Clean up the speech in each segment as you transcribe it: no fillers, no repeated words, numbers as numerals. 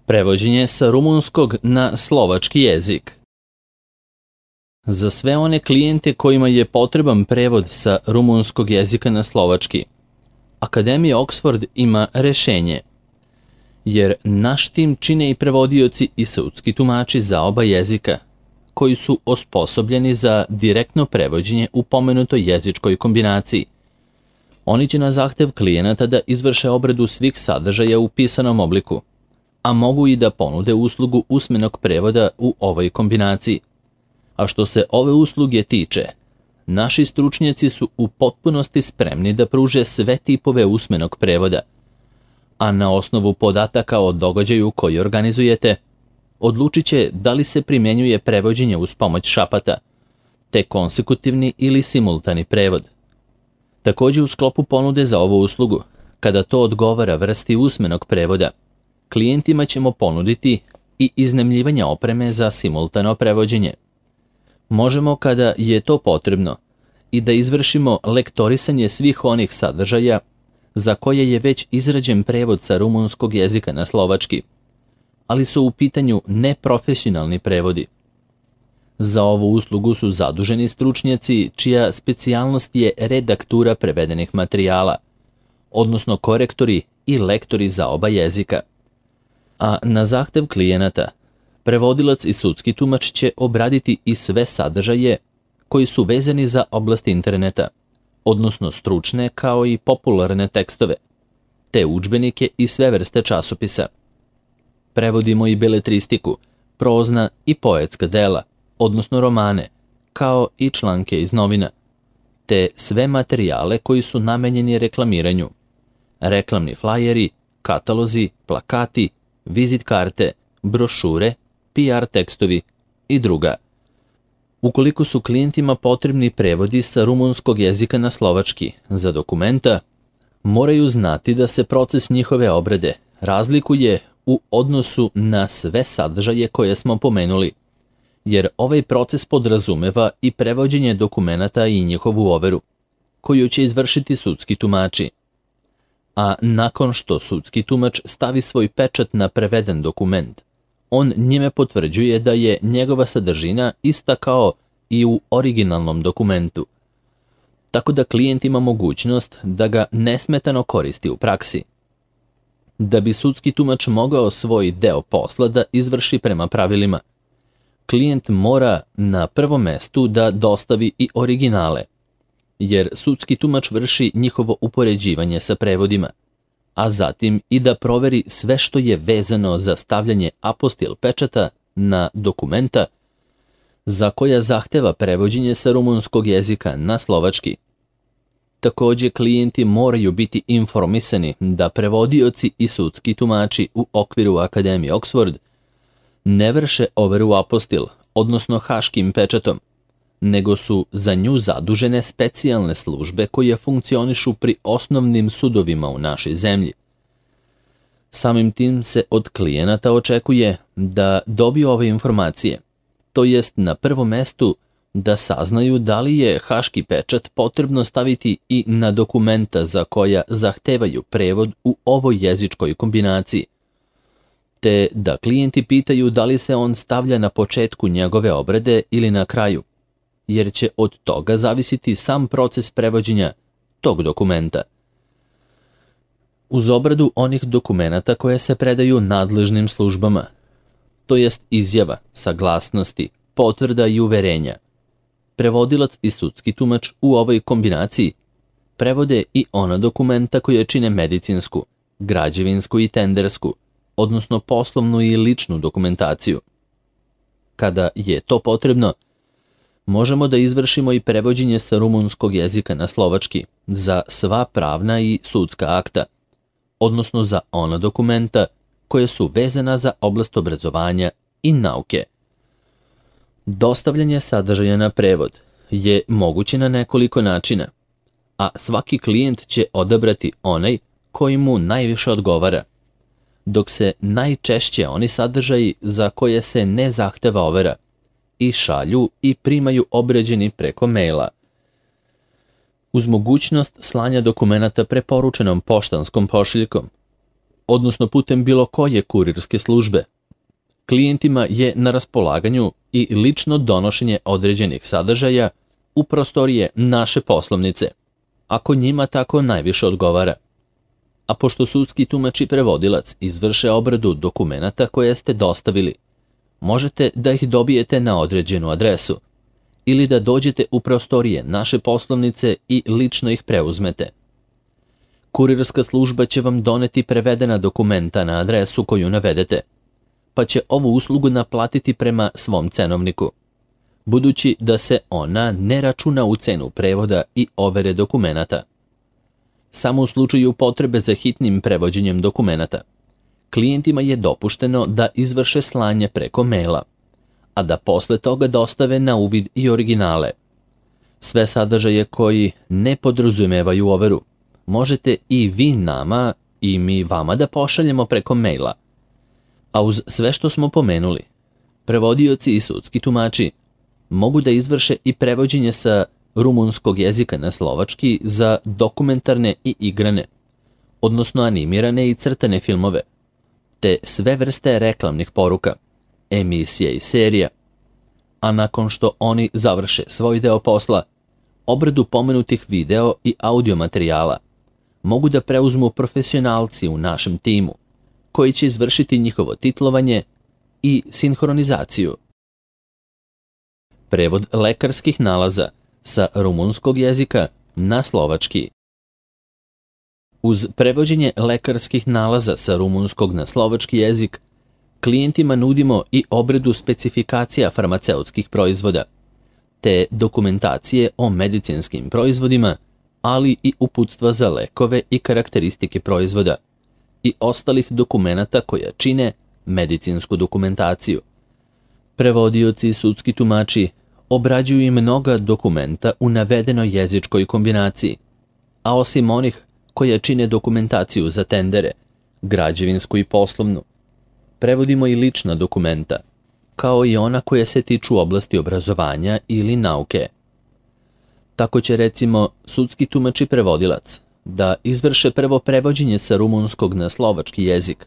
Prevođenje sa rumunskog na slovački jezik. Za sve one klijente kojima je potreban prevod sa rumunskog jezika na slovački, Akademija Oxford ima rešenje, jer naš tim čine i prevodioci i sudski tumači za oba jezika, koji su osposobljeni za direktno prevođenje u pomenutoj jezičkoj kombinaciji. Oni će na zahtev klijenata da izvrše obradu svih sadržaja u pisanom obliku, a mogu i da ponude uslugu usmenog prevoda u ovoj kombinaciji. A što se ove usluge tiče, naši stručnjaci su u potpunosti spremni da pruže sve tipove usmenog prevoda, a na osnovu podataka o događaju koji organizujete, odlučit će da li se primjenjuje prevođenje uz pomoć šapata, te konsekutivni ili simultani prevod. Također u sklopu ponude za ovu uslugu, kada to odgovara vrsti usmenog prevoda, klijentima ćemo ponuditi i iznajmljivanje opreme za simultano prevođenje. Možemo, kada je to potrebno, i da izvršimo lektorisanje svih onih sadržaja za koje je već izrađen prevod sa rumunskog jezika na slovački, ali su u pitanju neprofesionalni prevodi. Za ovu uslugu su zaduženi stručnjaci čija specijalnost je redaktura prevedenih materijala, odnosno korektori i lektori za oba jezika. A na zahtev klijenata, prevodilac i sudski tumač će obraditi i sve sadržaje koji su vezani za oblast interneta, odnosno stručne kao i popularne tekstove, te udžbenike i sve vrste časopisa. Prevodimo i beletristiku, prozna i poetska dela, odnosno romane, kao i članke iz novina, te sve materijale koji su namenjeni reklamiranju, reklamni flajeri, katalozi, plakati, vizit karte, brošure, PR tekstovi i druga. Ukoliko su klijentima potrebni prevodi sa rumunskog jezika na slovački za dokumenta, moraju znati da se proces njihove obrade razlikuje u odnosu na sve sadržaje koje smo pomenuli, jer ovaj proces podrazumeva i prevođenje dokumenata i njihovu overu, koju će izvršiti sudski tumači. A nakon što sudski tumač stavi svoj pečat na preveden dokument, on njime potvrđuje da je njegova sadržina ista kao i u originalnom dokumentu, tako da klijent ima mogućnost da ga nesmetano koristi u praksi. Da bi sudski tumač mogao svoj deo posla da izvrši prema pravilima, klijent mora na prvom mestu da dostavi i originale, jer sudski tumač vrši njihovo upoređivanje sa prevodima, a zatim i da proveri sve što je vezano za stavljanje apostil pečata na dokumenta za koja zahteva prevođenje sa rumunskog jezika na slovački. Također, klijenti moraju biti informisani da prevodioci i sudski tumači u okviru Akademije Oxford ne vrše overu apostil, odnosno haškim pečatom, nego su za nju zadužene specijalne službe koje funkcionišu pri osnovnim sudovima u našoj zemlji. Samim tim se od klijenata očekuje da dobiju ove informacije, to jest na prvom mestu da saznaju da li je haški pečat potrebno staviti i na dokumenta za koja zahtevaju prevod u ovoj jezičkoj kombinaciji, te da klijenti pitaju da li se on stavlja na početku njegove obrade ili na kraju, jer će od toga zavisiti sam proces prevođenja tog dokumenta. Uz obradu onih dokumenata koje se predaju nadležnim službama, to jest izjava, saglasnosti, potvrda i uverenja, prevodilac i sudski tumač u ovoj kombinaciji prevode i ona dokumenta koje čine medicinsku, građevinsku i tendersku, odnosno poslovnu i ličnu dokumentaciju. Kada je to potrebno, možemo da izvršimo i prevođenje sa rumunskog jezika na slovački za sva pravna i sudska akta, odnosno za ona dokumenta koje su vezana za oblast obrazovanja i nauke. Dostavljanje sadržaja na prevod je moguće na nekoliko načina, a svaki klijent će odabrati onaj koji mu najviše odgovara, dok se najčešće oni sadržaji za koje se ne zahteva overa i šalju i primaju obrađeni preko maila. Uz mogućnost slanja dokumenata preporučenom poštanskom pošiljkom, odnosno putem bilo koje kurirske službe. Klijentima je na raspolaganju i lično donošenje određenih sadržaja u prostorije naše poslovnice, ako njima tako najviše odgovara. A pošto sudski tumač i prevodilac izvrše obradu dokumenata koje ste dostavili, možete da ih dobijete na određenu adresu ili da dođete u prostorije naše poslovnice i lično ih preuzmete. Kurirska služba će vam doneti prevedena dokumenta na adresu koju navedete, pa će ovu uslugu naplatiti prema svom cenovniku, budući da se ona ne računa u cenu prevoda i overe dokumenata. Samo u slučaju potrebe za hitnim prevođenjem dokumenata, klijentima je dopušteno da izvrše slanje preko maila, a da posle toga dostave na uvid i originale. Sve sadržaje koji ne podrazumevaju overu možete i vi nama i mi vama da pošaljemo preko maila. A uz sve što smo pomenuli, prevodioci i sudski tumači mogu da izvrše i prevođenje sa rumunskog jezika na slovački za dokumentarne i igrane, odnosno animirane i crtane filmove, te sve vrste reklamnih poruka, emisija i serija. A nakon što oni završe svoj deo posla, obradu pomenutih video i audio materijala mogu da preuzmu profesionalci u našem timu, koji će izvršiti njihovo titlovanje i sinhronizaciju. Prevod lekarskih nalaza sa rumunskog jezika na slovački. Uz prevođenje lekarskih nalaza sa rumunskog na slovački jezik, klijentima nudimo i obradu specifikacija farmaceutskih proizvoda, te dokumentacije o medicinskim proizvodima, ali i uputstva za lekove i karakteristike proizvoda i ostalih dokumenata koja čine medicinsku dokumentaciju. Prevodioci i sudski tumači obrađuju i mnoga dokumenta u navedenoj jezičkoj kombinaciji, a osim onih koja čine dokumentaciju za tendere, građevinsku i poslovnu, prevodimo i lična dokumenta, kao i ona koja se tiču oblasti obrazovanja ili nauke. Tako će recimo sudski tumač i prevodilac da izvrše prvo prevođenje sa rumunskog na slovački jezik,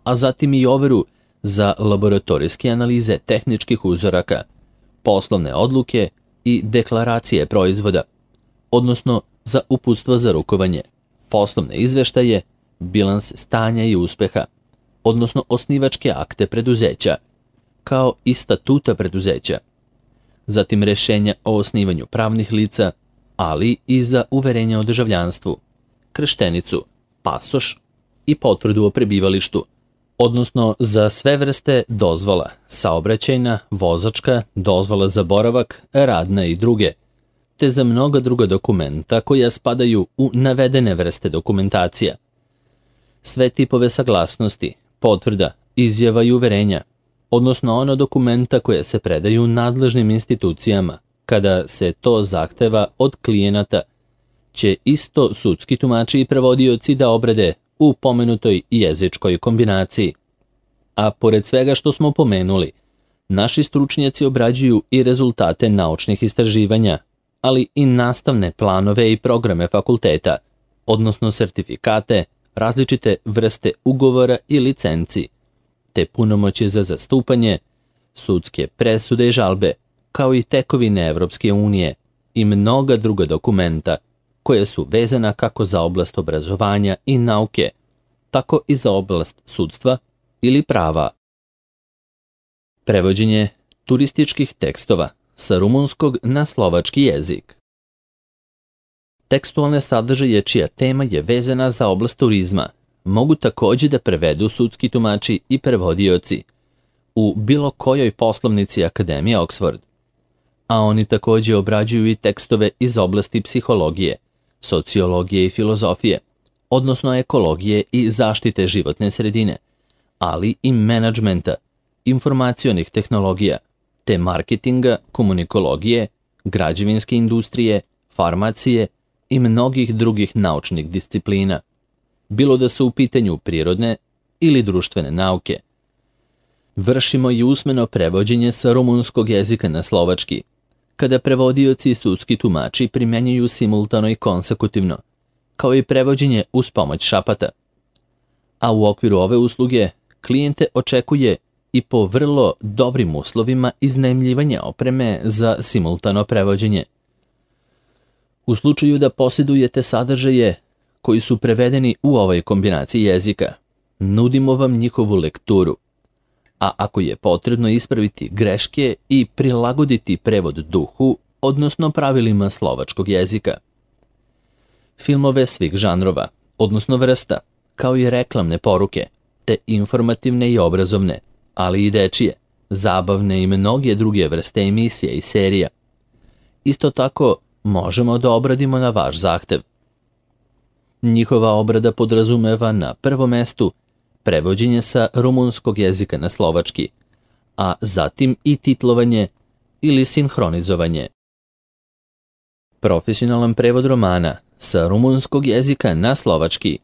a zatim i overu za laboratorijske analize tehničkih uzoraka, poslovne odluke i deklaracije proizvoda, odnosno za uputstva za rukovanje, poslovne izveštaje, bilans stanja i uspeha, odnosno osnivačke akte preduzeća, kao i statuta preduzeća, zatim rešenja o osnivanju pravnih lica, ali i za uverenje o državljanstvu, krštenicu, pasoš i potvrdu o prebivalištu, odnosno za sve vrste dozvola, saobraćajna, vozačka, dozvola za boravak, radna i druge, te za mnoga druga dokumenta koja spadaju u navedene vrste dokumentacija. Sve tipove saglasnosti, potvrda, izjava i uverenja, odnosno ono dokumenta koje se predaju nadležnim institucijama kada se to zahteva od klijenata, će isto sudski tumači i prevodioci da obrade u pomenutoj jezičkoj kombinaciji. A pored svega što smo pomenuli, naši stručnjaci obrađuju i rezultate naučnih istraživanja, ali i nastavne planove i programe fakulteta, odnosno sertifikate, različite vrste ugovora i licenci, te punomoći za zastupanje, sudske presude i žalbe, kao i tekovine Evropske unije i mnoga druga dokumenta koje su vezana kako za oblast obrazovanja i nauke, tako i za oblast sudstva ili prava. Prevođenje turističkih tekstova sa rumunskog na slovački jezik. Tekstualne sadržaje čija tema je vezana za oblast turizma mogu takođe da prevedu sudski tumači i prevodioci u bilo kojoj poslovnici Akademije Oxford, a oni takođe obrađuju i tekstove iz oblasti psihologije, sociologije i filozofije, odnosno ekologije i zaštite životne sredine, ali i menadžmenta, informacionih tehnologija, te marketinga, komunikologije, građevinske industrije, farmacije i mnogih drugih naučnih disciplina, bilo da su u pitanju prirodne ili društvene nauke. Vršimo i usmeno prevođenje sa rumunskog jezika na slovački, kada prevodioci i sudski tumači primjenjuju simultano i konsekutivno, kao i prevođenje uz pomoć šapata. A u okviru ove usluge klijente očekuje i po vrlo dobrim uslovima iznajmljivanja opreme za simultano prevođenje. U slučaju da posjedujete sadržaje koji su prevedeni u ovoj kombinaciji jezika, nudimo vam njihovu lekturu, a ako je potrebno ispraviti greške i prilagoditi prevod duhu, odnosno pravilima slovačkog jezika. Filmove svih žanrova, odnosno vrsta, kao i reklamne poruke, te informativne i obrazovne, ali i dečije, zabavne i mnoge druge vrste emisija i serija. Isto tako možemo da obradimo na vaš zahtev. Njihova obrada podrazumeva na prvom mestu prevođenje sa rumunskog jezika na slovački, a zatim i titlovanje ili sinhronizovanje. Profesionalan prevod romana sa rumunskog jezika na slovački.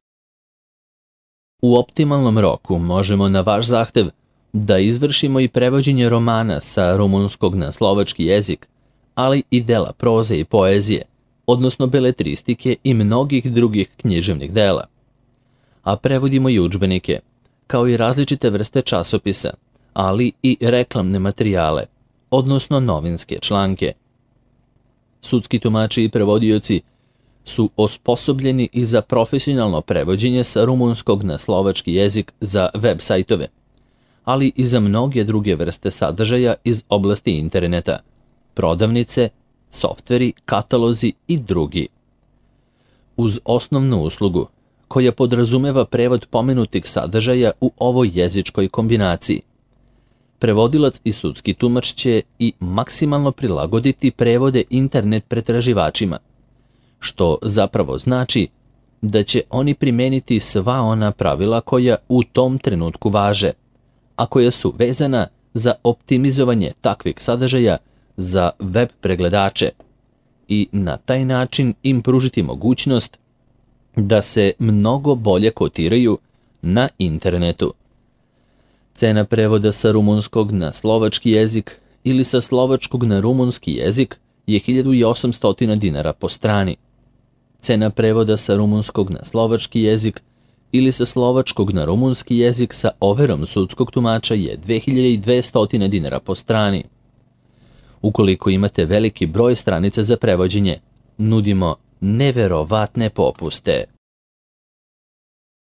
U optimalnom roku možemo na vaš zahtev da izvršimo i prevođenje romana sa rumunskog na slovački jezik, ali i dela proze i poezije, odnosno beletristike i mnogih drugih književnih dela. A prevodimo i udžbenike, kao i različite vrste časopisa, ali i reklamne materijale, odnosno novinske članke. Sudski tumači i prevodioci su osposobljeni i za profesionalno prevođenje sa rumunskog na slovački jezik za web sajtove, ali i za mnoge druge vrste sadržaja iz oblasti interneta, prodavnice, softveri, katalozi i drugi. Uz osnovnu uslugu, koja podrazumeva prevod pomenutih sadržaja u ovoj jezičkoj kombinaciji, prevodilac i sudski tumač će i maksimalno prilagoditi prevode internet pretraživačima, što zapravo znači da će oni primeniti sva ona pravila koja u tom trenutku važe, a koja su vezana za optimizovanje takvih sadržaja za web pregledače i na taj način im pružiti mogućnost da se mnogo bolje kotiraju na internetu. Cena prevoda sa rumunskog na slovački jezik ili sa slovačkog na rumunski jezik je 1800 dinara po strani. Cena prevoda sa rumunskog na slovački jezik ili sa slovačkog na rumunski jezik sa overom sudskog tumača je 2200 dinara po strani. Ukoliko imate veliki broj stranica za prevođenje, nudimo neverovatne popuste.